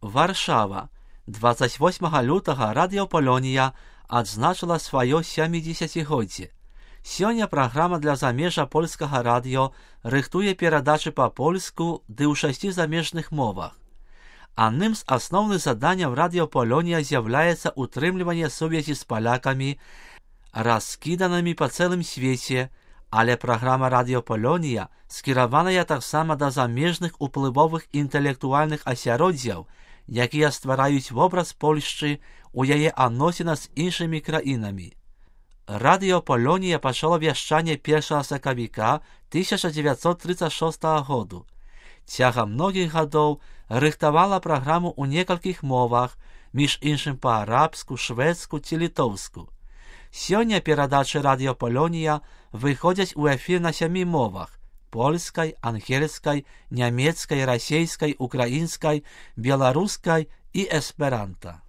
Варшава. 28 лютага Радыё Палонія адзначыла сваё 70-годдзе. Сёння праграма для замежжа польскага радыё рыхтуе перадачы па-польску ды ў 6 замежных мовах. Адным з асноўных заданняў Радыё Палонія з'яўляецца утрымліванне сувязі з палякамі, раскіданымі па цэлым свеце, але праграма Радыё Палонія скіраваная таксама да замежных уплывовых інтэлектуальных асяроддзяў, якія ствараюць вобраз Польшчы ў яе адносінах з іншымі краінамі. Радыё Палонія пачало вяшчанне 1 сакавіка 1936 году. Цягам многіх гадоў рыхтавала праграму ў некалькіх мовах, між іншым па-арабску, шведску ці літоўску. Сёння перадачы Радыё Палонія выходзяць у эфір на 7 мовах: польскай, ангельскай, нямецкай, расейскай, украінскай, беларускай і эсперанта.